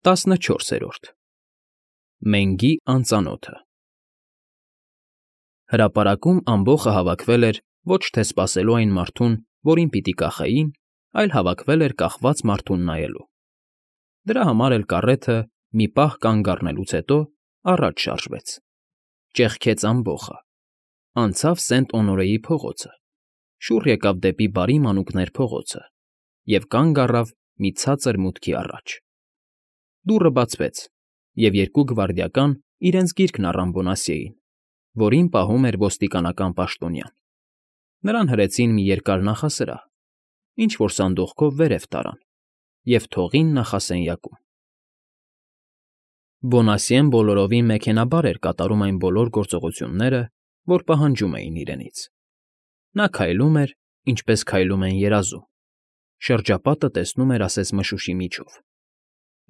14 Մենգի անծանոթը Հրապարակում ամբոխը հավաքվել էր ոչ թե սպասելու այն մարդուն, որին պիտի կախեին, այլ հավաքվել էր կախված մարդուն նայելու։ Դրա համար էլ կառեթը, մի պահ կանգ առնելուց հետո, առաջ շարժվեց, ճեղքեց ամբոխը, անցավ Սենտ֊Օնորեի փողոցը, շուռ եկավ դեպի Բարի Մանուկներ փողոցը և կանգ առավ մի ցածր մուտքի առաջ։ Դուռը բացվեց, և երկու գվարդիական իրենց գիրկն առան Բոնասիեին, որին պահում էր ոստիկանական պաշտոնյան։ Նրան հրեցին մի երկար նախասրահ, ինչ֊որ սանդուղքով վերև տարան և թողին նախասենյակում։ Բոնասիեն բոլորովին մեքենաբար էր կատարում այն բոլոր գործողությունները, որ պահանջում էին իրենից։ Նա քայլում էր, ինչպես քայլում են երազում, շրջապատը տեսնում էր ասես մշուշի միջով։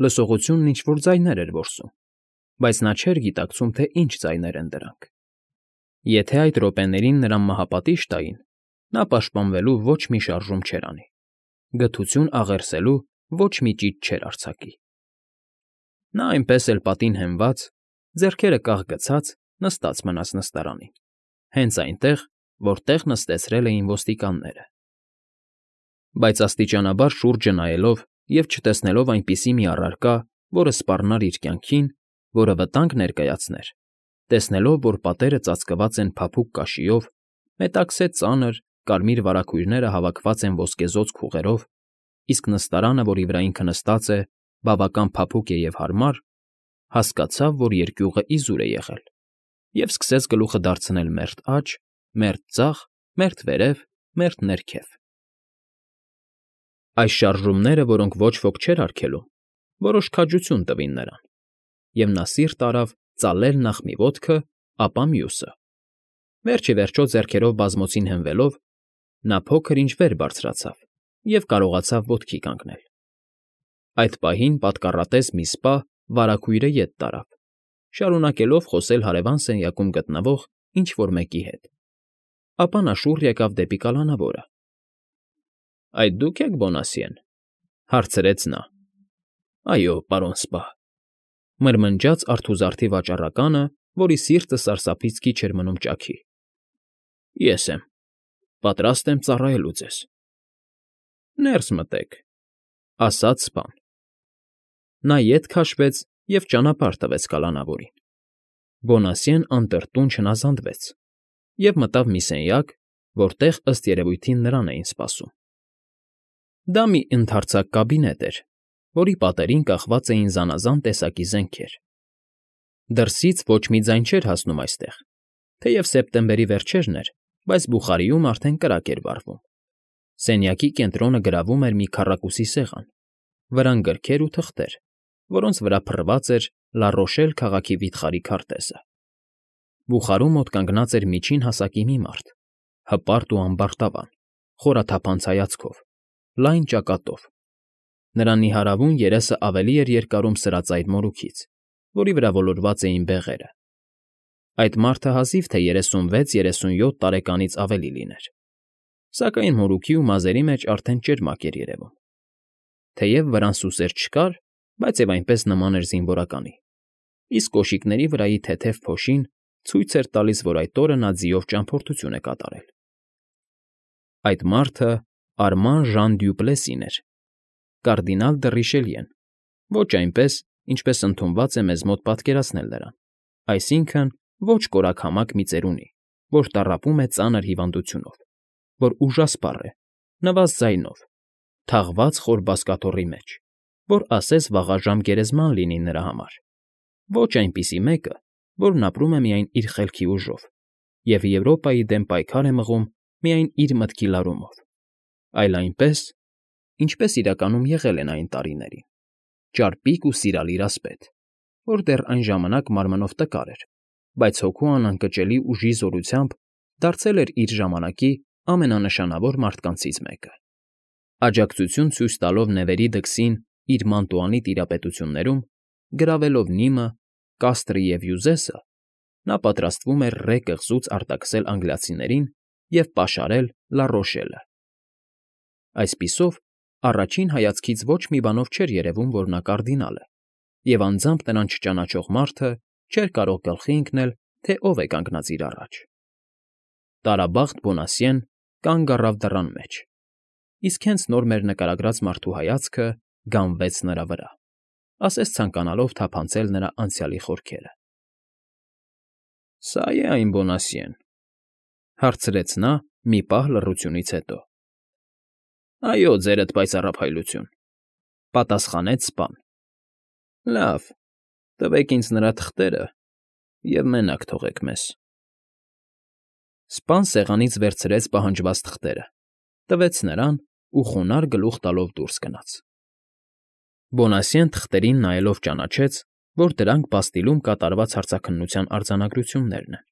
Լսողությունն ինչ֊որ ձայներ էր որսում, բայց նա չէր գիտակցում, թե ինչ ձայներ են դրանք։ Եթե այդ րոպեներին նրան մահապատիժ տային, նա պաշտպանվելու ոչ մի շարժում չէր անի, գթություն աղերսելու ոչ մի ճիծ չէր արձակի։ Նա այնպես էլ պատին հենված, ձեռքերը կախ գցած, նստած մնաց նստարանին, հենց այնտեղ, որտեղ նստեցրել էին ոստիկանները։ Բայց աստիճանաբար շուրջը նայելով և չտեսնելով այնպիսի մի առարկա, որը սպառնար իր կյանքին, որը վտանգ ներկայացներ, տեսնելով, որ պատերը ծածկված են փափուկ կաշիով, մետաքսե ծանր, կարմիր վարագույրները հավաքված են ոսկեզօծ քուղերով, իսկ նստարանը, որի վրա ինքը նստած է, բավական փափուկ է և հարմար, հասկացավ, որ երկյուղը իզուր է եղել, և սկսեց գլուխը դարձնել մերթ աջ, մերթ ձախ, մերթ վերև, մերթ ներքև։ Այս շարժումները, որոնք ոչ ոք չէր արգելում, որոշ քաջություն տվին նրան, և նա սիրտ արավ ծալել նախ մի ոտքը, ապա մյուսը։ Վերջ ի վերջո ձեռքերով բազմոցին հենվելով, նա փոքր֊ինչ վեր բարձրացավ և կարողացավ ոտքի կանգնել։ Այդ պահին պատկառատես մի սպա վարագույրը ետ տարավ, շարունակելով խոսել հարևան սենյակում գտնվող ինչ֊որ մեկի հետ։ Ապա նա շուռ եկավ դեպի կալանավորը։ ֊ Այդ դու՞ք եք, Բոնասիեն,֊ հարցրեց նա։ ֊ Այո, պարոն սպա,֊ մրմնջաց արթուզարդի վաճառականը, որի սիրտը սարսափից քիչ էր մնում ճաքի։ ֊ Ես եմ, պատրաստ եմ ծառայելու ձեզ։ ֊ Ներս մտեք,֊ ասաց սպան։ Նա ետ քաշվեց և ճանապարհ տվեց կալանավորին։ Բոնասիեն անտրտուն չնազանդվեց և մտավ մի սենյակ, որտեղ, ըստ երևույթին, նրան էին սպասում։ Դա մի ընդարձակ կաբինետ էր, որի պատերին կախված էին զանազան տեսակի զենքեր։ Դրսից ոչ մի ձայն չէր հասնում այստեղ, թեև սեպտեմբերի վերջերն էր, բայց բուխարիում արդեն կրակ էր վառվում։ Սենյակի կենտրոնը գրավում էր մի քառակուսի սեղան, վրան գրքեր ու թղթեր, որոնց վրա փռված էր Լա Ռոշել քաղաքի վիթխարի քարտեզը։ Բուխարու մոտ կանգնած էր միջին հասակի մի մարդ, հպարտ ու ամբարտավան, խորաթափանց հայացքով, լայն ճակատով։ Նրա նիհարավուն երեսը ավելի էր երկարում սրածայր մորուքից, որի վրա ոլորված էին բեղերը։ Այդ մարդը հազիվ թե 36-37 տարեկանից ավելի լիներ, սակայն մորուքի ու մազերի մեջ արդեն ճերմակ էր երևում։ Թեև վրան սուսեր չկար, բայց և այնպես նման էր զինվորականի, իսկ կոշիկների վրայի թեթև փոշին ցույց էր տալիս, որ այդ օրը նա ձիով ճամփորդություն է կատարել։ Այդ մարդը Արման Ժան Դյուպլեսին էր, կարդինալ դը Ռիշելիեն, ոչ այնպես, ինչպես ընդունված է մեզ մոտ պատկերացնել նրան, այսինքն ոչ կորակամակ մի ծերունի, որ տառապում է ծանր հիվանդությունով, որ ուժասպառ է, նվազ ձայնով, թաղված խոր բազկաթոռի մեջ, որ ասես վաղաժամ գերեզման լինի նրա համար, ոչ այնպիսի մեկը, որն ապրում է միայն իր խելքի ուժով և Եվրոպայի դեմ պայքար է մղում միայն իր մտքի լարումով, այլ այնպես, ինչպես իրականում եղել են այն տարիներին, ճարպիկ ու սիրալիր ասպետ, որ դեռ այն ժամանակ մարմնով տկար էր, բայց հոգու անընկճելի ուժի զորությամբ դարձել էր իր ժամանակի ամենանշանավոր մարդկանցից մեկը։ Աջակցություն ցույց տալով նվերի դքսին իր Մանտուանի տիրապետություններում, գրավելով Նիմը, Կաստրի և Յուզեսը, նա պատրաստվում էր Ռե կղզուց արտաքսել անգլիացիներին և պաշարել Լա Ռոշելը։ Այսպիսով, առաջին հայացքից ոչ մի բանով չէր երևում, որ նա կարդինալ է, և անձամբ նրան չճանաչող մարդը չէր կարող գլխի ընկնել, թե ով է կանգնած իր առաջ։ Տարաբախտ Բոնասիեն կանգ առավ դռան մեջ, իսկ հենց նոր մեր նկարագրած մարդու հայացքը գանվեց նրա վրա, ասես ցանկանալով թափանցել նրա անցյալի խորքերը։ ֊ Սա՞ է այն Բոնասիեն,֊ հարցրեց նա մի պահ լռությունից հետո։ ֊ Այո, ձերդ պայծառափայլություն,֊ պատասխանեց սպան։ ֊ Լավ, տվեք ինձ նրա թղթերը և մենակ թողեք մեզ։ Սպան սեղանից վերցրեց պահանջված թղթերը, տվեց նրան ու խոնարհ գլուխ տալով դուրս գնաց։ Բոնասիեն թղթերին նայելով ճանաչեց, որ դրանք բաստիլում կատարված հարցաքննության արձանագրություններն են։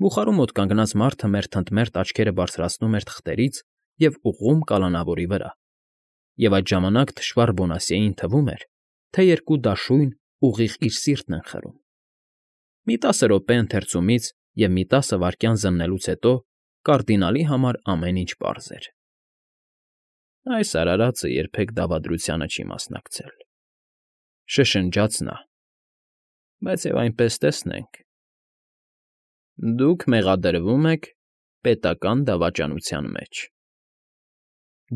Բուխարու մոտ կանգնած մարդը մերթընդմերթ աչքերը բարձրացնում էր թղթերից և ուղղում կալանավորի վրա, և այդ ժամանակ թշվառ Բոնասիեին թվում էր, թե երկու դաշույն ուղիղ իր սիրտն են խրում։ Մի 10 րոպե ընթերցումից և մի 10 վայրկյան զննելուց հետո կարդինալի համար ամեն ինչ պարզ էր։ «Այս արարածը երբեք դավադրությանը չի մասնակցել,֊ շշնջաց նա,֊ բայց և այնպես տեսնենք։ Դուք մեղադրվում եք պետական դավաճանության մեջ,֊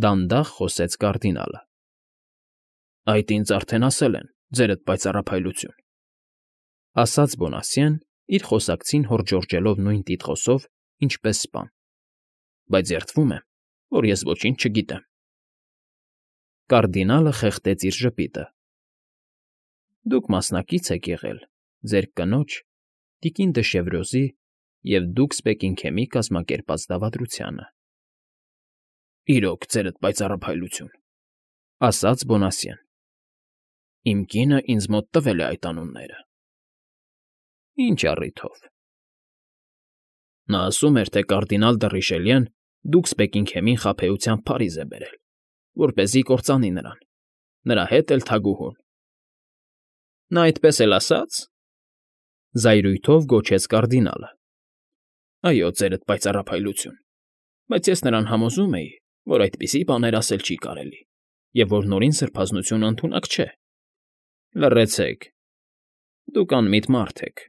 դանդաղ խոսեց կարդինալը։ ֊ Այդ ինձ արդեն ասել են, ձերդ պայծառափայլություն,֊ ասաց Բոնասիեն, իր խոսակցին հորդժորջելով նույն տիտղոսով, ինչպես սպան,֊ բայց երդվում եմ, որ ես ոչինչ չգիտեմ։ Կարդինալը խեղդեց իր ժպիտը։ ֊ Դուք մասնակից եք եղել ձեր կնոջ՝ տիկին դը Շևրոզի և Դուքս Բեկինգհեմի կազմակերպած դավադրությանը։ ֊ Իրոք, ձերդ պայծառափայլություն,֊ ասաց Բոնասիեն։ ֊ Իմ կինը ինձ մոտ տվել է այդ անունները։ ֊ Ինչ առիթով։ ֊ Նա ասում էր, թե կարդինալ դը Ռիշելյեն Դուքս Բեկինգհեմին խաբեությամբ Փարիզ է բերել, որպեսզի կործանի նրան, նրա հետ էլ թագուհուն։ ֊ Նա այդպես էլ ասաց,֊ զայրույթով գոչեց կարդինալը։ ֊ Այո, ձերդ պայծառափայլություն, բայց ես նրան համոզում էի, որ այդպիսի բաներ ասել չի կարելի և որ Նորին Սրբազնությունը ընդունակ չէ։ ֊ Լռեցեք, դուք անմիտ մարդ եք,֊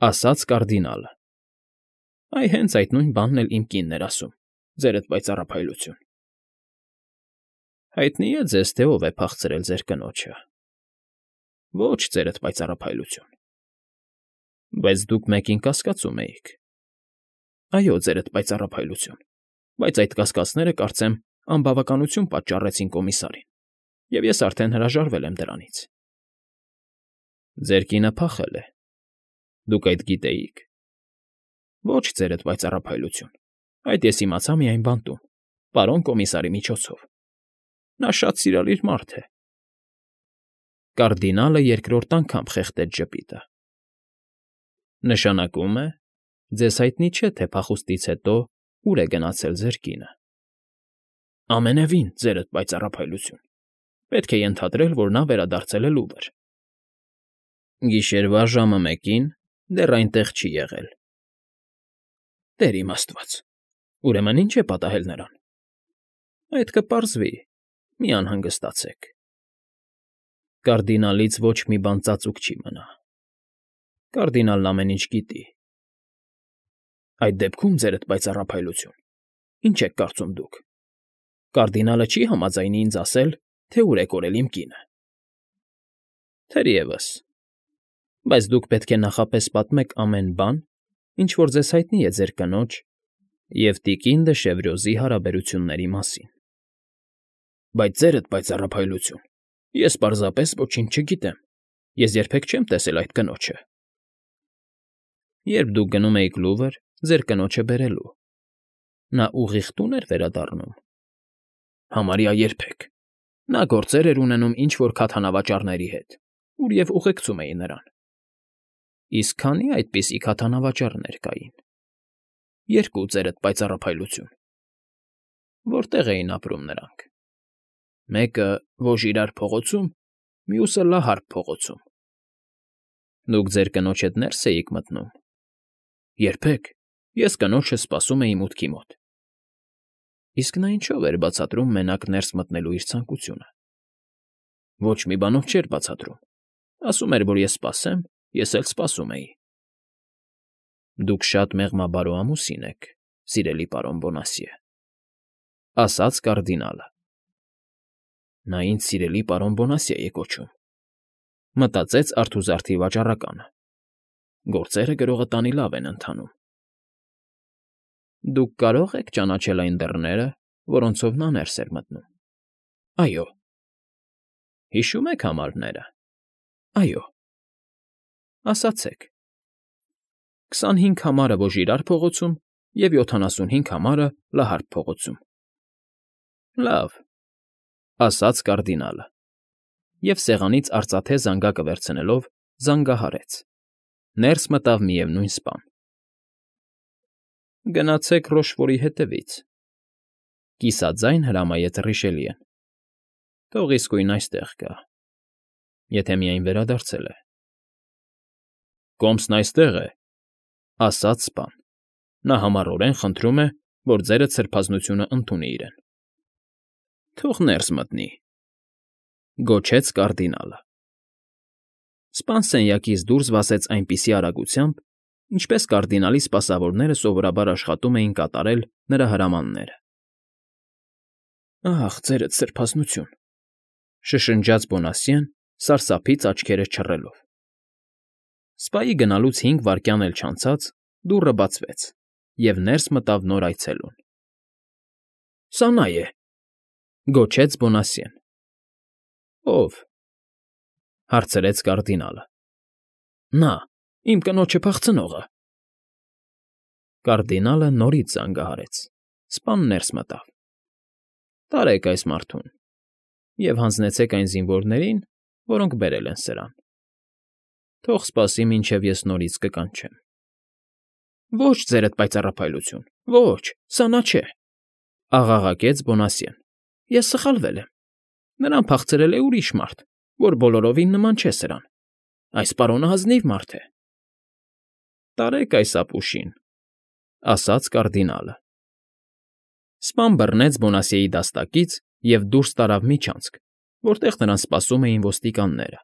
ասաց կարդինալը։ ֊ Այ հենց այդ նույն բանն էլ իմ կինն էր ասում, ձերդ պայծառափայլություն։ ֊ Հայտնի է ձեզ, թե ով է փախցրել ձեր կնոջը։ ֊ Ոչ, ձերդ պայծառափայլություն։ ֊ Բայց դուք մեկին կասկածում էիք։ ֊ Այո, ձերդ պայծառափայլություն, բայց այդ կասկածները, կարծեմ, անբավականություն պատճառեցին կոմիսարին, և ես արդեն հրաժարվել եմ դրանից։ ֊ Ձեր կինը փախել է։ Դուք այդ գիտեիք։ ֊ Ոչ, ձերդ պայծառափայլություն, այդ ես իմացա միայն բանտում, պարոն կոմիսարի միջոցով։ Նա շատ սիրալիր մարդ է։ Կարդինալը երկրորդ անգամ խեղդեց ժպիտը։ ֊ Նշանակում է, ձեզ հայտնի չէ, թե փախուստից հետո ուր է գնացել ձեր կինը։ ֊ Ամենևին, ձերդ պայծառափայլություն, պետք է ենթադրել, որ նա վերադարձել է Լուվր։ ֊ Գիշերվա ժամը 1-ին դեռ այնտեղ չի եղել։ ֊ Տեր իմ աստված, ուրեմն ի՞նչ է պատահել նրան։ ֊ Այդ կպարզվի, մի անհանգստացեք։ Կարդինալից ոչ մի բան ծածուկ չի մնա։ Կարդինալն ամեն ինչ գիտի։ ֊ Այդ դեպքում, ձերդ պայծառափայլություն, ի՞նչ եք կարծում դուք։ Կարդինալը չի՞ համաձայնի ինձ ասել, թե ուր է կորել իմ կինը։ ֊ Թերևս, բայց դուք պետք է նախապես պատմեք ամեն բան, ինչ որ ձեզ հայտնի է ձեր կնոջ և տիկին դը Շևրոզի հարաբերությունների մասին։ ֊ Բայց, ձերդ պայծառափայլություն, ես պարզապես ոչինչ չգիտեմ, ես երբեք չեմ տեսել այդ կնոջը։ ֊ Երբ դուք գնում էիք Լուվր ձեր կնոջը բերելու, նա ուղիղ տո՞ւն էր վերադառնում։ ֊ Համարյա երբեք։ Նա գործեր էր ունենում ինչ֊որ քաթանավաճառների հետ, ուր և ուղեկցում էին նրան։ ֊ Իսկ քանի՞ այդպիսի քաթանավաճառներ կային։ ֊ 2, ձերդ պայծառափայլություն։ ֊ Որտե՞ղ էին ապրում նրանք։ ֊ Մեկը Վոժիրար փողոցում, մյուսը Լահարկ փողոցում։ ֊ Դուք ձեր կնոջ հետ նե՞րս էիք մտնում։ ֊ Երբեք, ես կնոջս սպասում էի մուտքի մոտ։ ֊ Իսկ նա ինչո՞վ էր բացատրում մենակ ներս մտնելու իր ցանկությունը։ ֊ Ոչ մի բանով չէր բացատրում։ Ասում էր, որ ես սպասեմ, ես էլ սպասում էի։ Դուք շատ մեղմաբարո ամուսին եք, սիրելի պարոն Բոնասիե, ասաց կարդինալը։ Նա ինձ սիրելի պարոն Բոնասիե է կոչում, մտածեց արթուզարդի վաճառականը։ Գործերը գրողը տանի լավ են ընթանում։ Դուք կարո՞ղ եք ճանաչել այն դռները, որոնցով նա ներս էր մտնում։ Այո։ Հիշո՞ւմ եք համարները։ Այո։ Ասացեք։ 25 համարը Ոժիրար փողոցում և 75 համարը Լահարկ փողոցում։ Լավ, ասաց կարդինալը, և սեղանից արծաթե զանգակը վերցնելով զանգահարեց։ Ներս մտավ միևնույն սպան։ Գնացեք Ռոշֆորի հետևից, կիսաձայն հրամայեց Ռիշելիեն։ Թող իսկույն այստեղ գա, եթե միայն վերադարձել է։ Կոմսն այստեղ է, ասաց սպան։ Նա համառորեն խնդրում է, որ ձերդ սրբազնությունը ընդունի իրեն։ Թող ներս մտնի, գոչեց կարդինալը։ Սպան սենյակից դուրս վազեց այնպիսի արագությամբ, ինչպես կարդինալի սպասավորները սովորաբար աշխատում էին կատարել նրա հրամանները։ Ահ, ձերդ սրբազնություն, շշնջաց Բոնասիեն, սարսափից աչքերը չռելով։ Սպայի գնալուց 5 վայրկյան էլ չանցած դուռը բացվեց, և ներս մտավ նոր այցելուն։ Սա նա է, գոչեց Բոնասիեն։ Ո՞վ, հարցրեց կարդինալը։ Նա, իմ կնոջը փախցնողը։ Կարդինալը նորից զանգահարեց։ Սպան ներս մտավ։ Տարեք այս մարդուն և հանձնեցեք այն զինվորներին, որոնք բերել են սրան։ Թող սպասի, մինչև ես նորից կկանչեմ։ Ոչ, ձերդ պայծառափայլություն, ոչ, սա նա չէ, աղաղակեց Բոնասիեն։ Ես սխալվել եմ։ Նրան փախցրել է ուրիշ մարդ, որ բոլորովին նման չէ սրան։ Այս պարոնը ազնիվ մարդ է։ Տարեք այս ապուշին, ասաց կարդինալը։ Սպան բռնեց Բոնասիեի դաստակից և դուրս տարավ միջանցք, որտեղ նրան սպասում էին ոստիկանները։